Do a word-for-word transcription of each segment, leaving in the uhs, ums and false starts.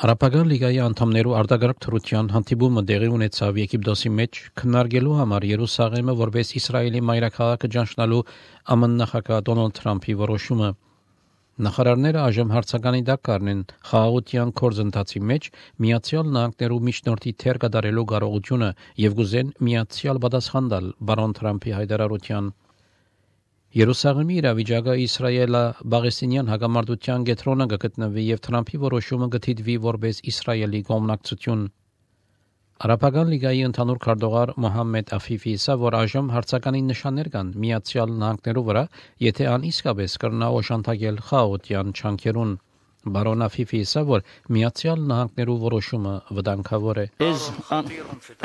Արաբական լիգայի անդամներու արտագաղթ թրության հանդիպումը տեղի ունեցավ Եգիպտոսի մեջ քննարկելու համար Երուսաղեմը որպես Իսրայելի մայրաքաղաքը ճանչնալու Ամն նախագահ Դոնալդ Թրամփի որոշումը։ Նախարարները այժմ հարցականի տակ կառնեն խաղաղության գործընթացի մեջ Միացյալ Նահանգներու միջնորդի թեր կատարելու կարողությունը եւ գուզեն միացյալ պատասխան տալ բարոն Թրամփի հայտարարության։ Երուսաղեմի իրավիճակը Իսրայելա-Պաղեստինյան հակամարտության կենտրոնը կգտնվի եւ Թրամփի որոշումը կթիթվի որպես Իսրայելի կողմնակցություն։ Արաբական լիգայի ընդհանուր քարտուղար Մոհամմեդ Աֆիֆի ասա, որ այժմ հարցականի նշաններ կան Միացյալ Նահանգներու վրա, եթե ան իսկապես կրնա օժանդակել խաղաղության չանքերուն։ Բարոն Աֆիֆի ասա, որ Միացյալ Նահանգներու որոշումը վտանգավոր է։ Is un-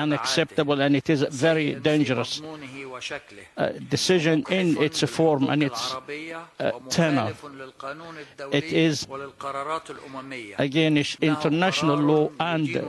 unacceptable and it is a very dangerous uh, decision in its form and its uh, tenor. It is against international law and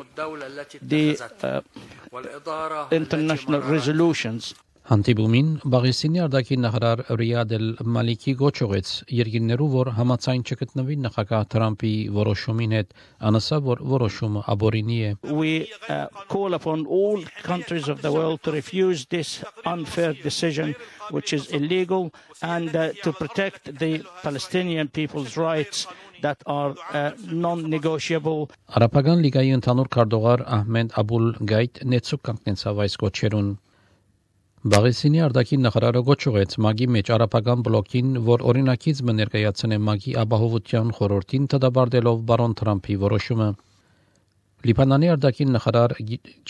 the uh, international resolutions. Հանդիպումին Պաղեստինի արտաքին նախարար Ռիադ Էլ-Մալիքի գոչողեց երկիրներու, որ համաձայն չգտնվի նախագահ Թրամփի որոշումին հետ, անասա, որ որոշումը աբորինի է։ We uh, call upon all countries of the world to refuse this unfair decision, which is illegal, and uh, to protect the Palestinian people's rights that are uh, non-negotiable. Արաբական լիգայի ընդհանուր քարտուղար Ահմեդ Աբուլ Գայթ նեցուկ կանգնեցավ այս գոչերուն։ Պաղեստինի արտաքին նախարարը գոչուեց ՄԱԳ-ի մեջ արաբական բլոկին, որ օրինակից մը ներկայացնե ՄԱԳ-ի ապահովության խորհրդին դադարելով բարոն Թրամփի որոշումը։ Լիբանանի արտաքին նախարար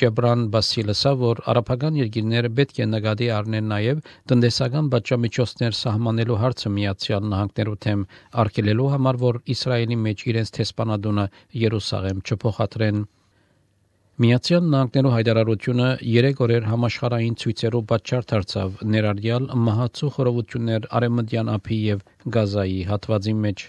Ջեբրան Բասիլսը, որ արաբական երկիրները պետք է նկատի առնեն նաև տնտեսական պատժամիջոցներ սահմանելու հարցը Միացյալ Նահանգներու թեմ արգելելու համար, որ Իսրայելի մեջ իրենց տեսփանադունը Երուսաղեմ չփոխադրեն։ Միացյալ Նահանգներու հայտարարությունը երեք օրեր համաշխարհային ցույցերով պատճառ դարձավ ներառյալ մահացու խորհուրդներ Արևմտյան ափի եւ Գազայի հատվածի մեջ։